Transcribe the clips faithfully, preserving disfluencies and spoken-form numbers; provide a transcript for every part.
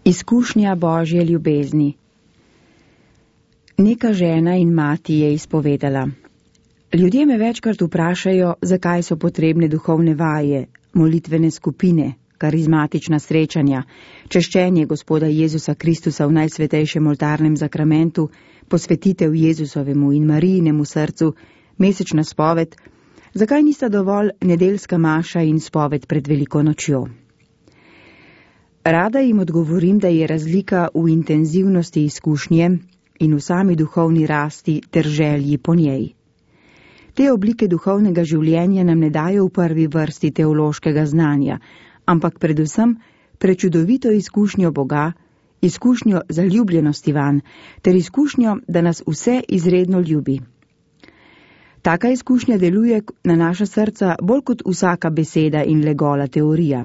Izkušnja Božje ljubezni. Neka žena in mati je izpovedala: Ljudje me večkrat vprašajo, zakaj so potrebne duhovne vaje, molitvene skupine, karizmatična srečanja, češčenje Gospoda Jezusa Kristusa v najsvetejšem oltarnem zakramentu, posvetitev Jezusovemu in Marijinemu srcu, mesečna spoved, zakaj nista dovolj nedeljska maša in spoved pred veliko nočjo. Rada jim odgovorim, da je razlika v intenzivnosti izkušnje in v sami duhovni rasti ter želji po njej. Te oblike duhovnega življenja nam ne dajo v prvi vrsti teološkega znanja, ampak predvsem prečudovito izkušnjo Boga, izkušnjo zaljubljenosti vanj, ter izkušnjo, da nas vse izredno ljubi. Taka izkušnja deluje na naša srca bolj kot vsaka beseda in le gola teorija.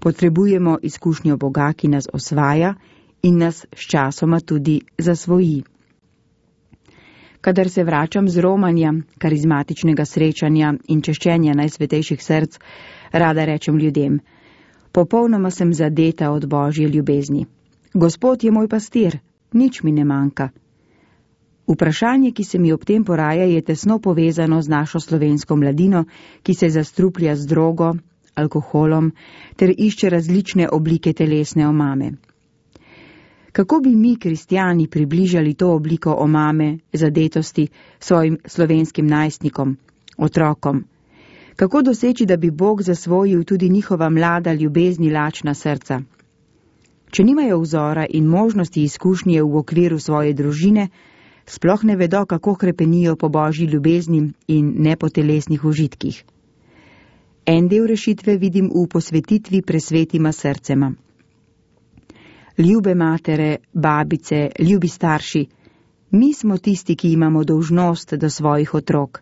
Potrebujemo izkušnjo Boga, ki nas osvaja in nas sčasoma tudi zasvoji. Kadar se vračam z romanja, karizmatičnega srečanja in češčenja najsvetejših src, rada rečem ljudem: popolnoma sem zadeta od Božje ljubezni. Gospod je moj pastir, nič mi ne manjka. Vprašanje, ki se mi ob tem poraja, je tesno povezano z našo slovensko mladino, ki se zastruplja z drogo, alkoholom ter išče različne oblike telesne omame. Kako bi mi, kristjani, približali to obliko omame, zadetosti svojim slovenskim najstnikom, otrokom? Kako doseči, da bi Bog zasvojil tudi njihova mlada ljubezni lačna srca? Če nimajo vzora in možnosti izkušnje v okviru svoje družine, sploh ne vedo, kako hrepenijo po Božji ljubezni in ne po telesnih užitkih. En del rešitve vidim v posvetitvi presvetima srcema. Ljube matere, babice, ljubi starši, mi smo tisti, ki imamo dolžnost do svojih otrok,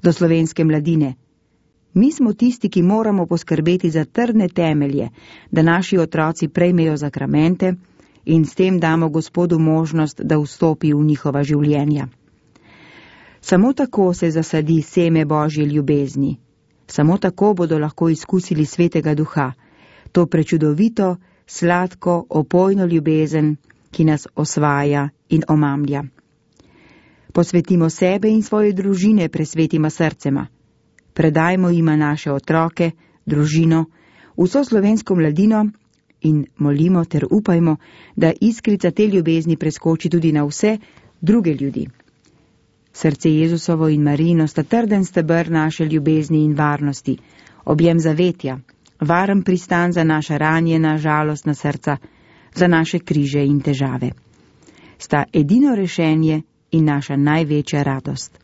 do slovenske mladine. Mi smo tisti, ki moramo poskrbeti za trdne temelje, da naši otroci prejmejo zakramente in s tem damo Gospodu možnost, da vstopi v njihova življenja. Samo tako se zasadi seme Božje ljubezni. Samo tako bodo lahko izkusili Svetega Duha, to prečudovito, sladko, opojno ljubezen, ki nas osvaja in omamlja. Posvetimo sebe in svoje družine presvetima srcema. Predajmo jima naše otroke, družino, vso slovensko mladino in molimo ter upajmo, da iskrica te ljubezni preskoči tudi na vse druge ljudi. Srce Jezusovo in Marijino sta trden steber naše ljubezni in varnosti, objem zavetja, varen pristan za naša ranjena, žalostna srca, za naše križe in težave. Sta edino rešenje in naša največja radost.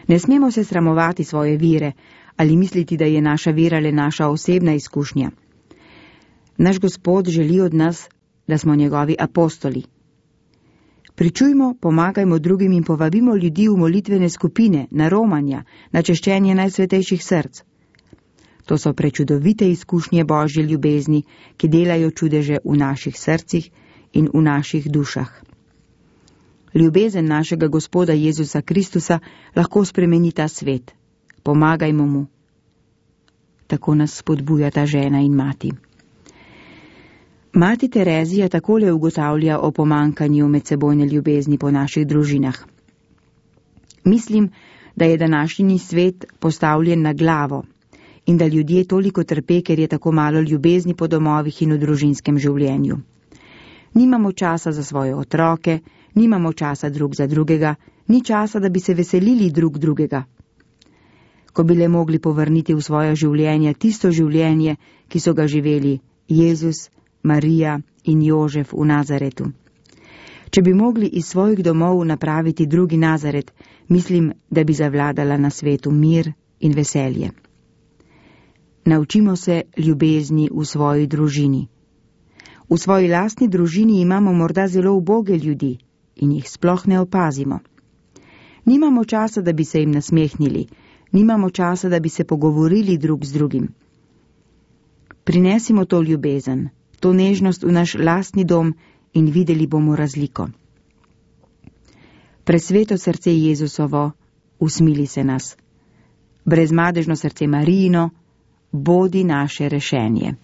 Ne smemo se sramovati svoje vire ali misliti, da je naša vera le naša osebna izkušnja. Naš Gospod želi od nas, da smo njegovi apostoli. Pričujmo, pomagajmo drugim in povabimo ljudi v molitvene skupine, na romanja, na češčenje najsvetejših src. To so prečudovite izkušnje Božje ljubezni, ki delajo čudeže v naših srcih in v naših dušah. Ljubezen našega Gospoda Jezusa Kristusa lahko spremeni ta svet. Pomagajmo mu. Tako nas spodbuja ta žena in mati. Mati Terezija takole ugotavlja o pomankanju medsebojne ljubezni po naših družinah. Mislim, da je današnji svet postavljen na glavo in da ljudje toliko trpe, ker je tako malo ljubezni po domovih in v družinskem življenju. Nimamo časa za svoje otroke, nimamo časa drug za drugega, ni časa, da bi se veselili drug drugega. Ko bi le mogli povrniti v svoje življenje tisto življenje, ki so ga živeli Jezus, Marija in Jožef v Nazaretu. Če bi mogli iz svojih domov napraviti drugi Nazaret, mislim, da bi zavladala na svetu mir in veselje. Naučimo se ljubezni v svoji družini. V svoji lastni družini imamo morda zelo uboge ljudi in jih sploh ne opazimo. Nimamo časa, da bi se jim nasmehnili, nimamo časa, da bi se pogovorili drug z drugim. Prinesimo to ljubezen, to nežnost v naš lastni dom in videli bomo razliko. Presveto srce Jezusovo, usmili se nas. Brezmadežno srce Marijino, bodi naše rešenje.